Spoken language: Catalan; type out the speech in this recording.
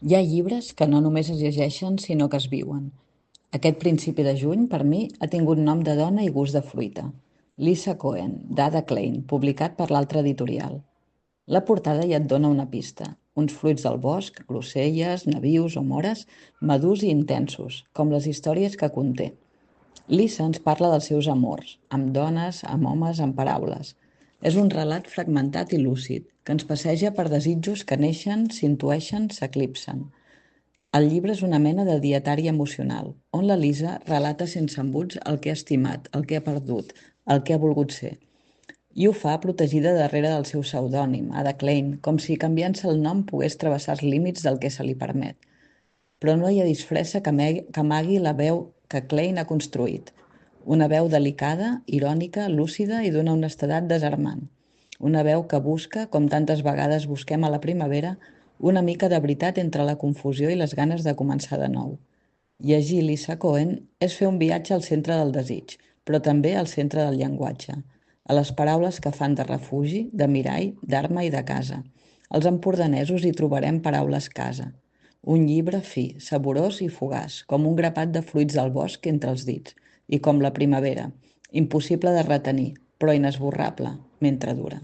Hi ha llibres que no només es llegeixen, sinó que es viuen. Aquest principi de juny, per mi, ha tingut nom de dona i gust de fruita. Lisa Cohen, d'Ada Klein, publicat per l'altra editorial. La portada ja et dona una pista. Uns fruits del bosc, groselles, nabius o mores, madurs i intensos, com les històries que conté. Lisa ens parla dels seus amors, amb dones, amb homes, amb paraules. És un relat fragmentat i lúcid, que ens passeja per desitjos que neixen, s'intueixen, s'eclipsen. El llibre és una mena de dietari emocional, on la Lisa relata sense embuts el que ha estimat, el que ha perdut, el que ha volgut ser. I ho fa protegida darrere del seu pseudònim, Ada Klein, com si canviant-se el nom pogués travessar els límits del que se li permet. Però no hi ha disfressa que amagui la veu que Klein ha construït. Una veu delicada, irònica, lúcida i d'una honestedat desarmant. Una veu que busca, com tantes vegades busquem a la primavera, una mica de veritat entre la confusió i les ganes de començar de nou. Llegir Lisa Cohen és fer un viatge al centre del desig, però també al centre del llenguatge, a les paraules que fan de refugi, de mirall, d'arma i de casa. Els empordanesos hi trobarem paraules casa. Un llibre fi, saborós i fugaç, com un grapat de fruits del bosc entre els dits, i com la primavera, impossible de retenir, però inesborrable, mentre dura.